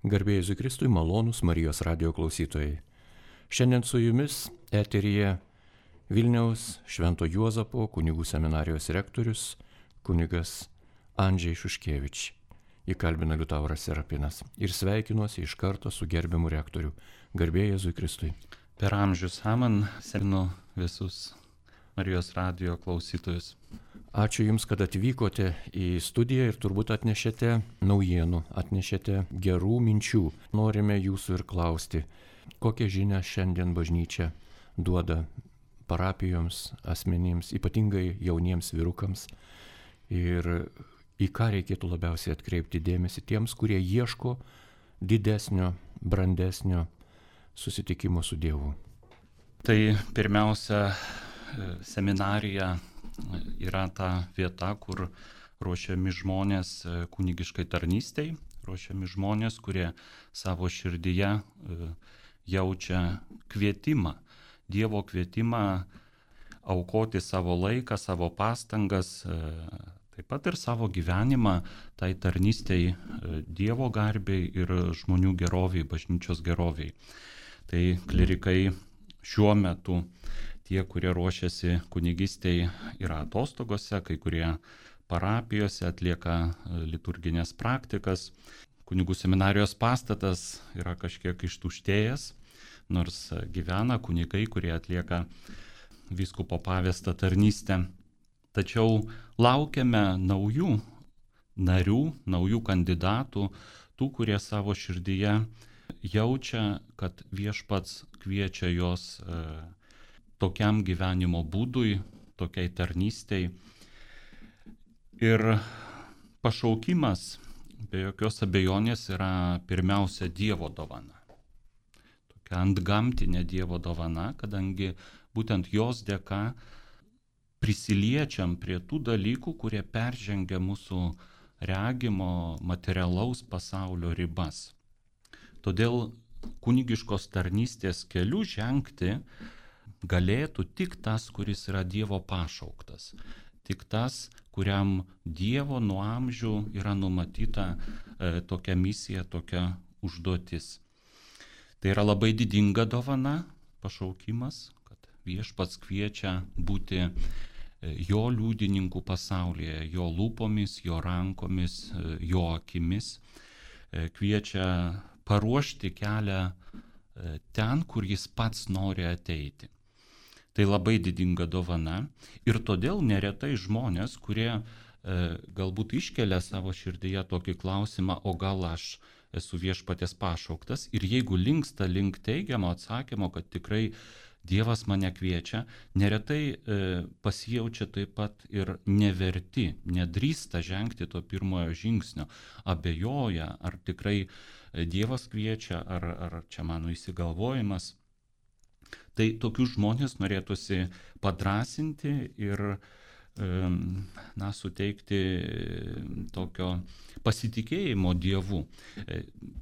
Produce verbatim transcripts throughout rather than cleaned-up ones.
Garbė Jėzui Kristui, malonūs Marijos radijo klausytojai. Šiandien su jumis eteryje Vilniaus Švento Juozapo kunigų seminarijos rektorius kunigas Andžej Šuškevič. Įkalbina Liutauras Serapinas ir sveikinuosi iš karto su gerbiamu rektoriu. Garbė Jėzui Kristui. Per amžius amen, sveikinu visus Marijos radijo klausytojus. Ačiū Jums, kad atvykote į studiją ir turbūt atnešėte naujienų, atnešėte gerų minčių. Norime Jūsų ir klausti, kokią žinią šiandien bažnyčia duoda parapijoms, asmenims, ypatingai jauniems vyrukams ir į ką reikėtų labiausiai atkreipti dėmesį tiems, kurie ieško didesnio, brandesnio susitikimo su Dievu. Tai pirmiausia, seminarija yra ta vieta, kur ruošiami žmonės kunigiškai tarnystei, ruošiami žmonės, kurie savo širdyje jaučia kvietimą, Dievo kvietimą aukoti savo laiką, savo pastangas, taip pat ir savo gyvenimą tai tarnystei Dievo garbei ir žmonių geroviai, bažnyčios geroviai. Tai klerikai šiuo metu, tie, kurie ruošiasi kunigystei, yra atostogose, kai kurie parapijose atlieka liturginės praktikas. Kunigų seminarijos pastatas yra kažkiek ištuštėjęs, nors gyvena kunigai, kurie atlieka vyskupo pavestą tarnystę. Tačiau laukiame naujų narių, naujų kandidatų, tų, kurie savo širdyje jaučia, kad Viešpats kviečia jos e, tokiam gyvenimo būdui, tokiai tarnystei. Ir pašaukimas be jokios abejonės yra pirmiausia Dievo dovana. Tokia antgamtinė Dievo dovana, kadangi būtent jos dėka prisiliečiam prie tų dalykų, kurie peržengia mūsų regimo materialaus pasaulio ribas. Todėl kunigiškos tarnystės keliu žengti galėtų tik tas, kuris yra Dievo pašauktas. Tik tas, kuriam Dievo nuo amžių yra numatyta e, tokia misija, tokia užduotis. Tai yra labai didinga dovana, pašaukimas, kad Viešpats kviečia būti jo liudininkų pasaulyje, jo lūpomis, jo rankomis, jo akimis, e, kviečia paruošti kelią ten, kur jis pats nori ateiti. Tai labai didinga dovana ir todėl neretai žmonės, kurie e, galbūt iškelia savo širdyje tokį klausimą, o gal aš esu Viešpaties pašauktas, ir jeigu linksta link teigiamo atsakymo, kad tikrai Dievas mane kviečia, neretai e, pasijaučia taip pat ir neverti, nedrįsta žengti to pirmojo žingsnio, abejoja, ar tikrai Dievas kviečia, ar, ar čia mano įsigalvojimas. Tai tokius žmonės norėtųsi padrasinti ir na, suteikti tokio pasitikėjimo Dievu.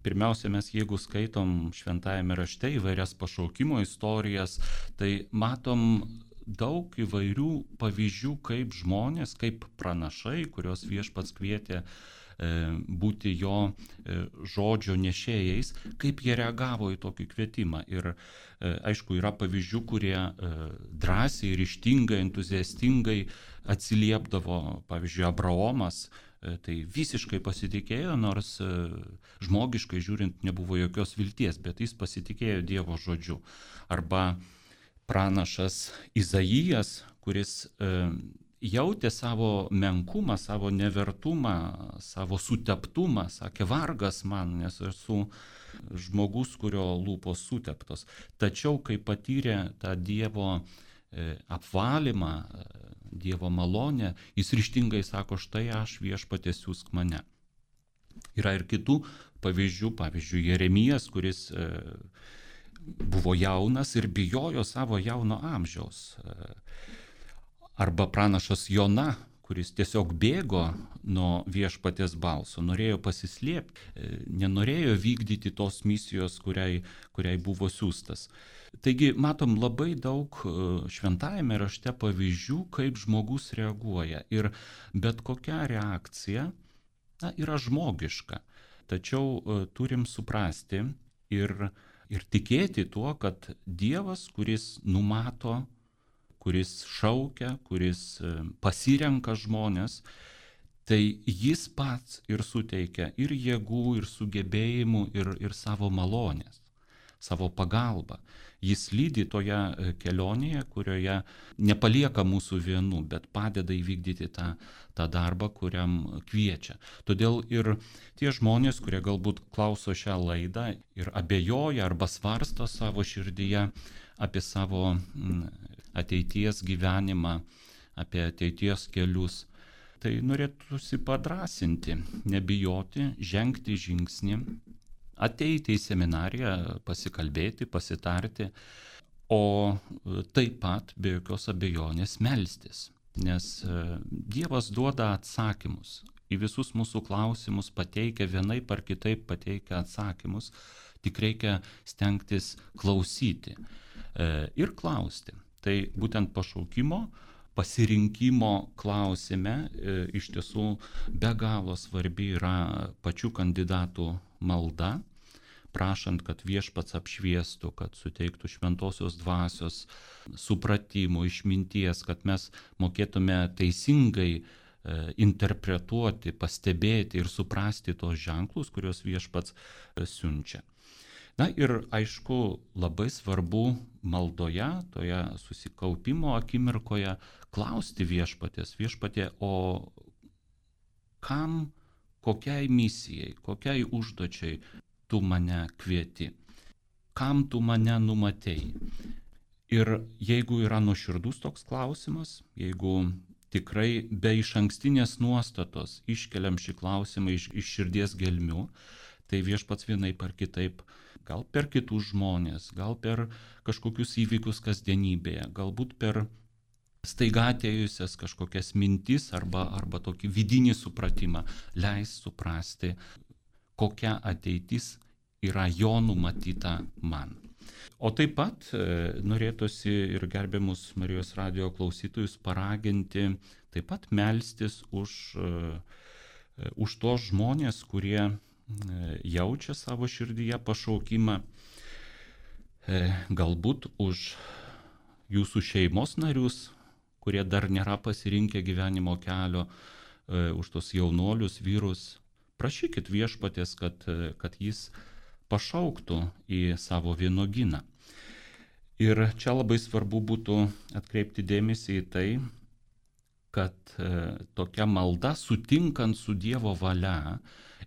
Pirmiausia, mes jeigu skaitom šventajame rašte įvairias pašaukimo istorijas, tai matom daug įvairių pavyzdžių, kaip žmonės, kaip pranašai, kurios Viešpats kvietė būti jo žodžio nešėjais, kaip jie reagavo į tokį kvietimą. Ir aišku, yra pavyzdžių, kurie drąsiai, ryžtingai, entuziastingai atsiliepdavo. Pavyzdžiui, Abraomas tai visiškai pasitikėjo, nors žmogiškai žiūrint nebuvo jokios vilties, bet jis pasitikėjo Dievo žodžiu. Arba pranašas Izaijas, kuris jautė savo menkumą, savo nevertumą, savo suteptumą, sakė, vargas man, nes esu žmogus, kurio lūpos suteptos. Tačiau, kai patyrė tą Dievo apvalymą, Dievo malonę, jis ryžtingai sako, štai aš, Viešpatie, siųsk mane. Yra ir kitų pavyzdžių, pavyzdžiui, Jeremijas, kuris buvo jaunas ir bijojo savo jauno amžiaus. Arba pranašas Jona, kuris tiesiog bėgo nuo Viešpaties balso, norėjo pasislėpti, nenorėjo vykdyti tos misijos, kuriai, kuriai buvo siųstas. Taigi matom labai daug šventajame rašte pavyzdžių, kaip žmogus reaguoja. Ir bet kokia reakcija na, yra žmogiška. Tačiau turim suprasti ir, ir tikėti tuo, kad Dievas, kuris numato, kuris šaukia, kuris pasirenka žmonės, tai jis pats ir suteikia ir jėgų, ir sugebėjimų, ir, ir savo malonės, savo pagalbą. Jis lydi toje kelionėje, kurioje nepalieka mūsų vienų, bet padeda įvykdyti tą, tą darbą, kuriam kviečia. Todėl ir tie žmonės, kurie galbūt klauso šią laidą ir abejoja arba svarsto savo širdyje apie savo ateities gyvenimą, apie ateities kelius, tai norėtųsi padrasinti, nebijoti, žengti žingsnį, ateiti į seminariją, pasikalbėti, pasitarti, o taip pat be jokios abejonės melstis, nes Dievas duoda atsakymus į visus mūsų klausimus, pateikia vienaip ar kitaip pateikia atsakymus, tik reikia stengtis klausyti ir klausti. Tai būtent pašaukimo, pasirinkimo klausime e, iš tiesų be galo svarbi yra pačių kandidatų malda, prašant, kad viešpats apšviestų, kad suteiktų šventosios dvasios supratimo, išminties, kad mes mokėtume teisingai e, interpretuoti, pastebėti ir suprasti tos ženklus, kuriuos viešpats e, siunčia. Na ir aišku, labai svarbu maldoje, toje susikaupimo akimirkoje klausti viešpaties, viešpatie, o kam, kokiai misijai, kokiai užduočiai tu mane kvieti, kam tu mane numatei. Ir jeigu yra nuoširdus toks klausimas, jeigu tikrai be išankstinės nuostatos iškeliam šį klausimą iš, iš širdies gelmių, tai viešpats vienaip ar kitaip, gal per kitus žmonės, gal per kažkokius įvykius kasdienybėje, galbūt per staiga atėjusias kažkokias mintis arba, arba tokį vidinį supratimą, leis suprasti, kokia ateitis yra jo numatyta man. O taip pat e, norėtųsi ir gerbiamus Marijos radijo klausytojus paraginti, taip pat melstis už, e, už tos žmonės, kurie jaučia savo širdyje pašaukimą, galbūt už jūsų šeimos narius, kurie dar nėra pasirinkę gyvenimo kelio, už tos jaunuolius, vyrus. Prašykit viešpaties, kad, kad jis pašauktų į savo vynuogyną. Ir čia labai svarbu būtų atkreipti dėmesį į tai, kad tokia malda, sutinkant su Dievo valia,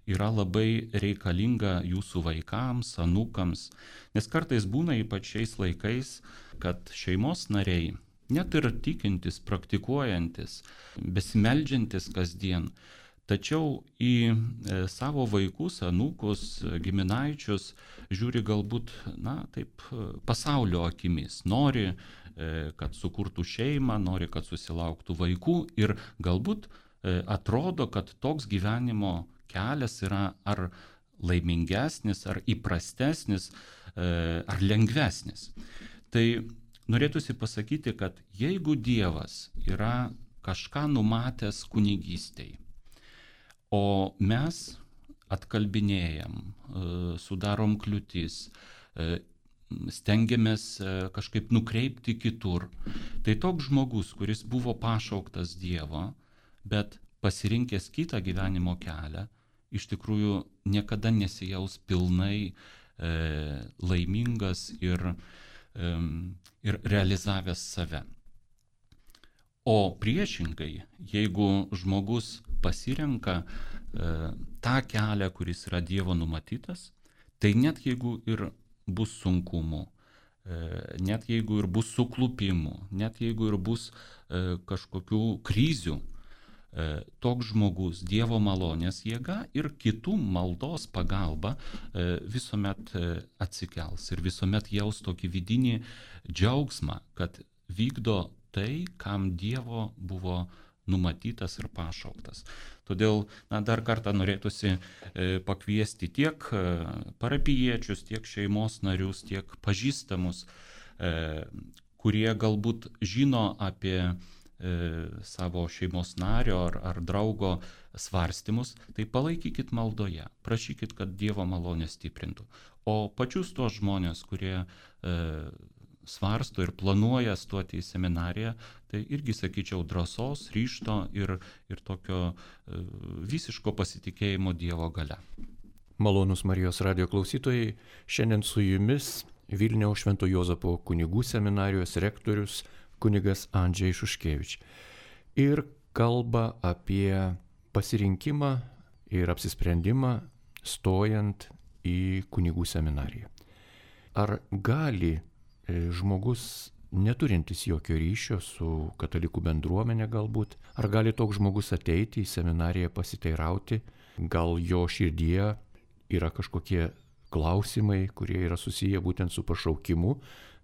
yra labai reikalinga jūsų vaikams, anūkams, nes kartais būna ypač šiais laikais, kad šeimos nariai, net ir tikintis, praktikuojantis, besimeldžiantis kasdien, tačiau į e, savo vaikus, anūkus, giminaičius žiūri galbūt, na, taip, pasaulio akimis, nori, e, kad sukurtų šeimą, nori, kad susilauktų vaikų ir galbūt e, atrodo, kad toks gyvenimo kelias yra ar laimingesnis, ar įprastesnis, ar lengvesnis. Tai norėtųsi pasakyti, kad jeigu Dievas yra kažką numatęs kunigystei, o mes atkalbinėjam, sudarom kliūtis, stengiamės kažkaip nukreipti kitur, tai toks žmogus, kuris buvo pašauktas Dievo, bet pasirinkęs kitą gyvenimo kelią, iš tikrųjų niekada nesijaus pilnai e, laimingas ir, e, ir realizavęs save. O priešingai, jeigu žmogus pasirenka e, tą kelią, kuris yra Dievo numatytas, tai net jeigu ir bus sunkumų, e, net jeigu ir bus suklupimų, net jeigu ir bus e, kažkokių krizių, toks žmogus Dievo malonės jėga ir kitų maldos pagalba visuomet atsikels ir visuomet jaus tokį vidinį džiaugsmą, kad vykdo tai, kam Dievo buvo numatytas ir pašauktas. Todėl na, dar kartą norėtųsi pakviesti tiek parapijiečius, tiek šeimos narius, tiek pažįstamus, kurie galbūt žino apie savo šeimos nario ar, ar draugo svarstymus, tai palaikykit maldoje, prašykit, kad Dievo malonė stiprintų. O pačius tos žmonės, kurie e, svarsto ir planuoja stoti į seminariją, tai irgi, sakyčiau, drąsos, ryžto ir, ir tokio e, visiško pasitikėjimo Dievo galia. Malonūs Marijos radijo klausytojai, šiandien su jumis Vilniaus Švento Juozapo kunigų seminarijos rektorius kunigas Andžej Šuškevič. Ir kalba apie pasirinkimą ir apsisprendimą stojant į kunigų seminariją. Ar gali žmogus, neturintis jokio ryšio su katalikų bendruomenė galbūt, ar gali toks žmogus ateiti į seminariją pasiteirauti, gal jo širdyje yra kažkokie klausimai, kurie yra susiję būtent su pašaukimu,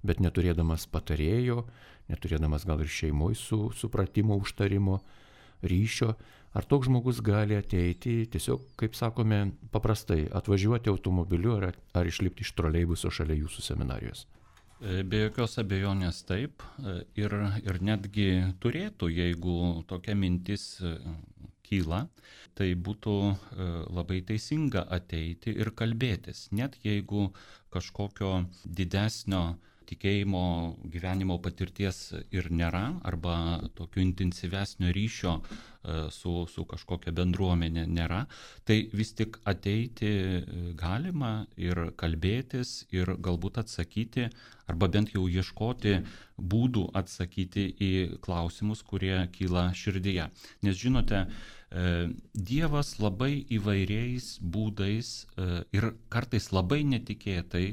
bet neturėdamas patarėjo, neturėdamas gal ir šeimoje su supratimo, užtarimo, ryšio, ar toks žmogus gali ateiti, tiesiog, kaip sakome, paprastai atvažiuoti automobiliu ar, ar išlipti iš troleibuso šalia jūsų seminarijos? Be jokios abejonės taip, ir, ir netgi turėtų, jeigu tokia mintis kyla, tai būtų labai teisinga ateiti ir kalbėtis, net jeigu kažkokio didesnio tikėjimo gyvenimo patirties ir nėra, arba tokio intensyvesnio ryšio su, su kažkokia bendruomenė nėra, tai vis tik ateiti galima ir kalbėtis ir galbūt atsakyti, arba bent jau ieškoti būdų atsakyti į klausimus, kurie kyla širdyje. Nes žinote, Dievas labai įvairiais būdais ir kartais labai netikėtai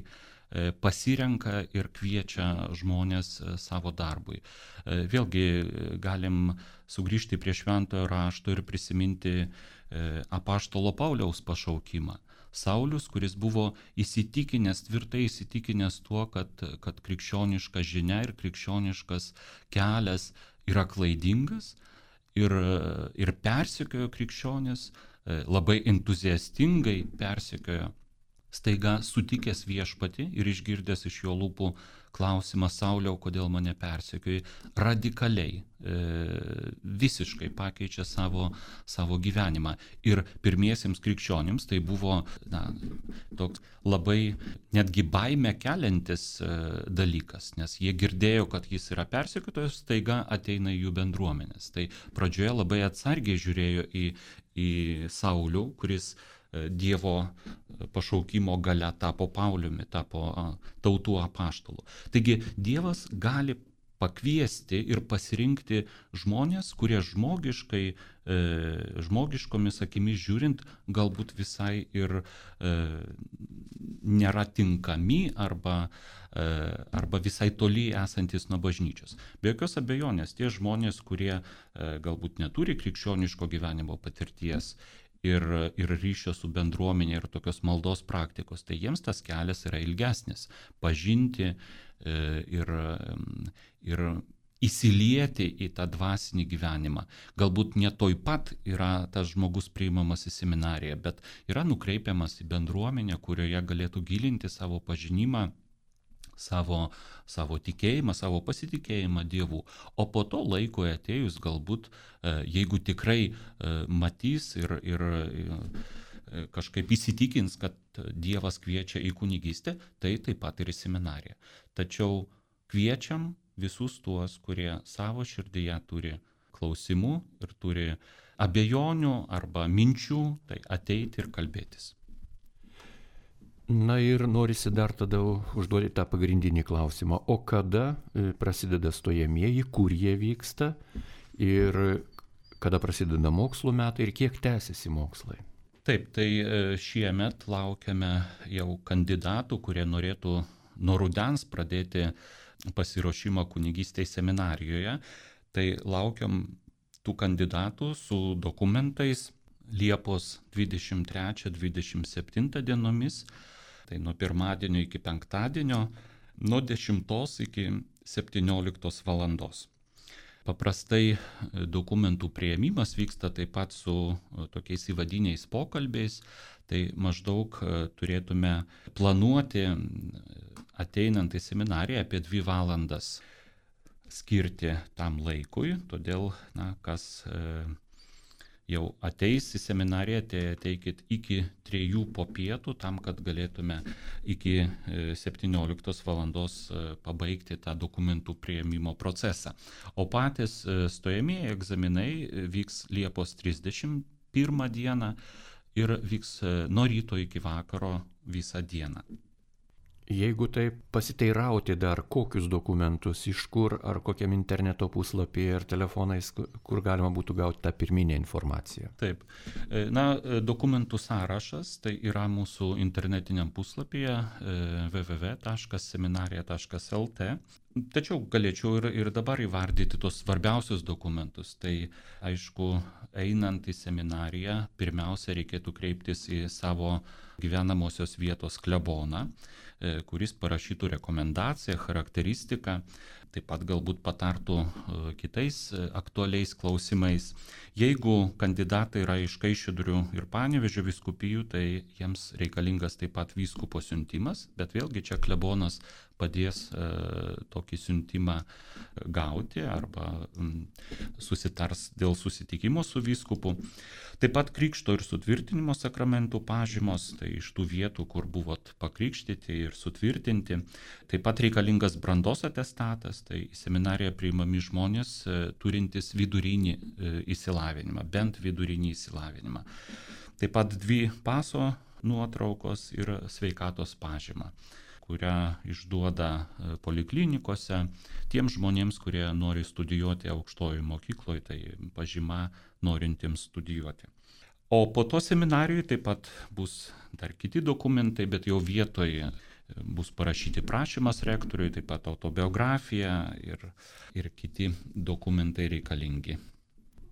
pasirenka ir kviečia žmonės savo darbui. Vėlgi galim sugrįžti prie Šventojo rašto ir prisiminti apaštalo Pauliaus pašaukimą. Saulius, kuris buvo įsitikinęs, tvirtai įsitikinęs tuo, kad, kad krikščioniška žinia ir krikščioniškas kelias yra klaidingas ir, ir persekiojo krikščionis, labai entuziastingai persekiojo. Staiga sutikęs viešpatį ir išgirdęs iš jo lūpų klausimą: Sauliau, kodėl mane persekioji, radikaliai, e, visiškai pakeičia savo, savo gyvenimą. Ir pirmiesiems krikščionims tai buvo na, toks labai netgi baimę keliantis e, dalykas, nes jie girdėjo, kad jis yra persekiotojas, staiga ateina į jų bendruomenės. Tai pradžioje labai atsargiai žiūrėjo į, į Saulių, kuris Dievo pašaukimo galia tapo Pauliumi, tapo tautų apaštalu. Taigi Dievas gali pakviesti ir pasirinkti žmonės, kurie žmogiškai, e, žmogiškomis akimis žiūrint, galbūt visai ir e, nėra tinkami arba, e, arba visai toli esantis nuo bažnyčios. Be jokios abejonės, tie žmonės, kurie e, galbūt neturi krikščioniško gyvenimo patirties, Ir, ir ryšio su bendruomenė ir tokios maldos praktikos, tai jiems tas kelias yra ilgesnis. Pažinti e, ir, ir įsilieti į tą dvasinį gyvenimą. Galbūt ne toj pat yra tas žmogus priimamas į seminariją, bet yra nukreipiamas į bendruomenę, kurioje galėtų gilinti savo pažinimą, savo, savo tikėjimą, savo pasitikėjimą Dievu. O po to laiko atėjus galbūt, jeigu tikrai matys ir, ir kažkaip įsitikins, kad Dievas kviečia į kunigystę, tai taip pat ir į seminariją. Tačiau kviečiam visus tuos, kurie savo širdyje turi klausimų ir turi abejonių arba minčių, tai ateiti ir kalbėtis. Na ir norisi dar tada užduoti tą pagrindinį klausimą. O kada prasideda stojamieji, kur jie vyksta ir kada prasideda mokslo metai ir kiek tęsiasi mokslai? Taip, tai šiemet laukiame jau kandidatų, kurie norėtų nuo rudens pradėti pasiruošimą kunigystei seminarijoje. Tai laukiam tų kandidatų su dokumentais Liepos dvidešimt trečią dvidešimt septintą dienomis. Tai nuo pirmadienio iki penktadienio, nuo dešimtos iki septynioliktos valandos. Paprastai dokumentų priėmimas vyksta taip pat su tokiais įvadiniais pokalbiais, tai maždaug turėtume planuoti ateinant į seminariją apie dvi valandas skirti tam laikui, todėl, na, kas e, jau ateis į seminariją, tai ateikit iki trijų po pietų, tam, kad galėtume iki septynioliktos valandos pabaigti tą dokumentų priėmimo procesą. O patys stojamieji egzaminai vyks Liepos trisdešimt pirmą dieną ir vyks nuo ryto iki vakaro visą dieną. Jeigu taip pasiteirauti dar, kokius dokumentus, iš kur, ar kokiam interneto puslapyje ir telefonais, kur galima būtų gauti tą pirminę informaciją. Taip. Na, dokumentų sąrašas tai yra mūsų internetiniam puslapyje w w w taškas seminarija taškas l t. Tačiau galėčiau ir, ir dabar įvardyti tos svarbiausius dokumentus. Tai aišku, einant į seminariją, pirmiausia reikėtų kreiptis į savo gyvenamosios vietos kleboną, kuris parašytų rekomendaciją, charakteristiką, taip pat galbūt patartų kitais aktualiais klausimais. Jeigu kandidatai yra iš Kaišiadorių ir Panevėžio vyskupijų, tai jiems reikalingas taip pat vyskupo siuntimas, bet vėlgi čia klebonas padės e, tokį siuntimą gauti arba m, susitars dėl susitikimo su vyskupu. Taip pat krikšto ir sutvirtinimo sakramentų pažymos, tai iš tų vietų, kur buvot pakrikštyti ir sutvirtinti. Taip pat reikalingas brandos atestatas, tai į seminariją priimami žmonės e, turintys vidurinį e, išsilavinimą, bent vidurinį išsilavinimą. Taip pat dvi paso nuotraukos ir sveikatos pažyma, kurią išduoda poliklinikose tiems žmonėms, kurie nori studijuoti aukštojoje mokykloje, tai pažyma norintiems studijuoti. O po to seminarijoje taip pat bus dar kiti dokumentai, bet jau vietoje bus parašyti prašymas rektoriui, taip pat autobiografija ir, ir kiti dokumentai reikalingi.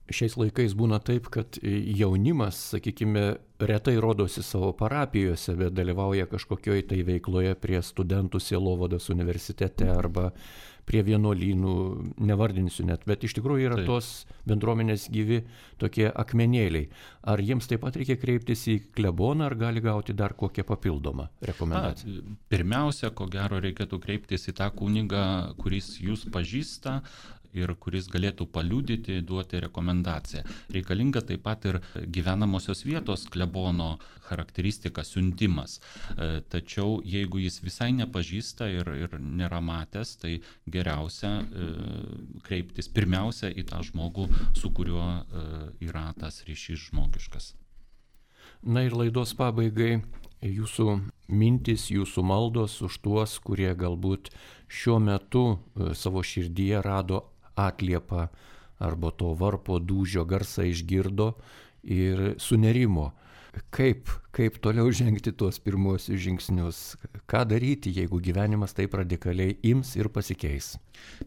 Šiais laikais būna taip, kad jaunimas, sakykime, retai rodosi savo parapijose, bet dalyvauja kažkokioj tai veikloje prie studentų sielovados universitete arba prie vienuolynų, nevardinsiu net, bet iš tikrųjų yra taip. Tos bendruomenės gyvi tokie akmenėliai. Ar jiems taip pat reikia kreiptis į kleboną, ar gali gauti dar kokią papildomą rekomendaciją? Na, pirmiausia, ko gero reikėtų kreiptis į tą kunigą, kuris jūs pažįsta ir kuris galėtų paliudyti, duoti rekomendaciją. Reikalinga taip pat ir gyvenamosios vietos klebono charakteristika, siuntimas. Tačiau jeigu jis visai nepažįsta ir, ir nėra matęs, tai geriausia kreiptis pirmiausia į tą žmogų, su kuriuo yra tas ryšys žmogiškas. Na ir laidos pabaigai jūsų mintis, jūsų maldos už tuos, kurie galbūt šiuo metu savo širdyje rado atliepą arba to varpo dūžio garsą išgirdo ir sunerimo. Kaip, kaip toliau žengti tuos pirmuosius žingsnius? Ką daryti, jeigu gyvenimas taip radikaliai ims ir pasikeis?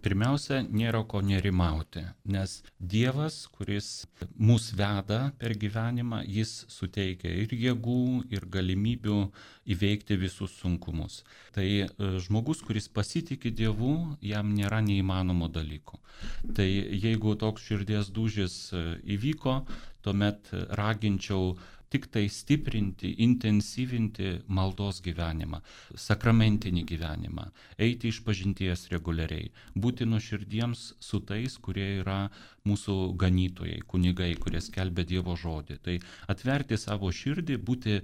Pirmiausia, nėra ko nerimauti, nes Dievas, kuris mus veda per gyvenimą, jis suteikia ir jėgų, ir galimybių įveikti visus sunkumus. Tai žmogus, kuris pasitikė Dievu, jam nėra neįmanomo dalyko. Tai jeigu toks širdies dūžis įvyko, tuomet raginčiau tik tai stiprinti, intensyvinti maldos gyvenimą, sakramentinį gyvenimą, eiti iš pažinties reguliariai, būti nuoširdiems su tais, kurie yra mūsų ganytojai, kunigai, kurie skelbia Dievo žodį. Tai atverti savo širdį, būti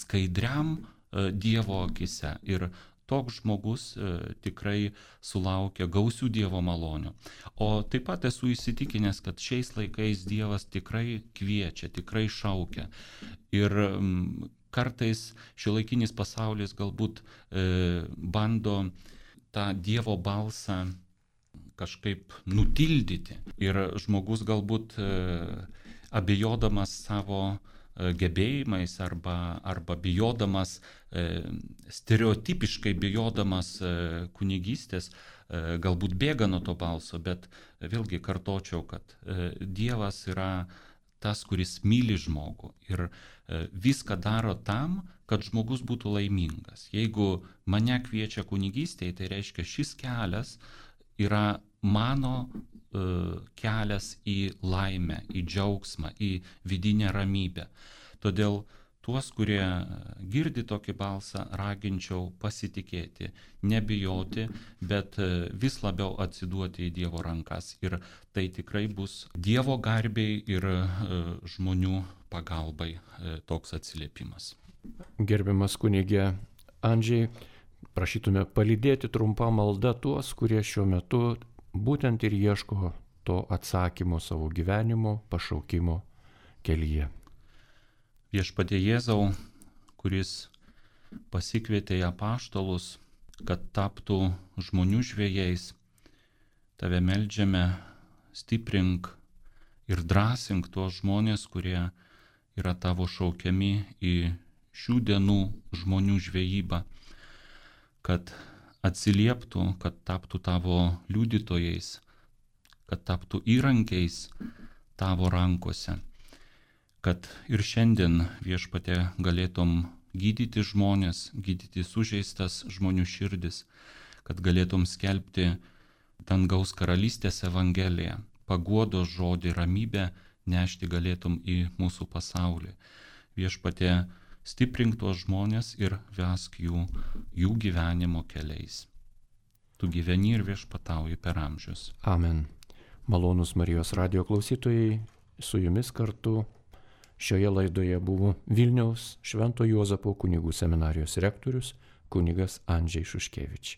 skaidriam Dievo akise. Ir toks žmogus e, tikrai sulaukia gausių Dievo malonių. O taip pat esu įsitikinęs, kad šiais laikais Dievas tikrai kviečia, tikrai šaukia. Ir m, kartais šiuolaikinis pasaulis galbūt e, bando tą Dievo balsą kažkaip nutildyti. Ir žmogus galbūt e, abejodamas savo gebėjimais arba, arba bijodamas, e, stereotipiškai bijodamas e, kunigystės, e, galbūt bėga nuo to balso, bet vėlgi kartočiau, kad e, Dievas yra tas, kuris myli žmogų ir e, viską daro tam, kad žmogus būtų laimingas. Jeigu mane kviečia kunigystėje, tai reiškia, šis kelias yra mano kelias į laimę, į džiaugsmą, į vidinę ramybę. Todėl tuos, kurie girdi tokį balsą, raginčiau pasitikėti, nebijoti, bet vis labiau atsiduoti į Dievo rankas. Ir tai tikrai bus Dievo garbei ir žmonių pagalbai toks atsiliepimas. Gerbiamas kunigė Andžiai, prašytume palydėti trumpą maldą tuos, kurie šiuo metu būtent ir ieško to atsakymo savo gyvenimo, pašaukimo kelyje. Viešpatie Jėzau, kuris pasikvietė į apaštalus, kad taptų žmonių žvejais, tave meldžiame, stiprink ir drąsink tuos žmonės, kurie yra tavo šaukiami į šių dienų žmonių žvejybą, kad atsilieptų, kad taptų tavo liudytojais, kad taptų įrankiais tavo rankose, kad ir šiandien, Viešpatie, galėtum gydyti žmonės, gydyti sužeistas žmonių širdis, kad galėtum skelbti dangaus karalystės evangeliją, paguodos žodį, ramybę nešti galėtum į mūsų pasaulį. Viešpatie, stiprink tuos žmonės ir vesk jų, jų gyvenimo keliais. Tu gyveni ir viešpatauji per amžius. Amen. Malonūs Marijos radijo klausytojai, su jumis kartu šioje laidoje buvo Vilniaus Švento Juozapo kunigų seminarijos rektorius kunigas Andžiai Šuškevič.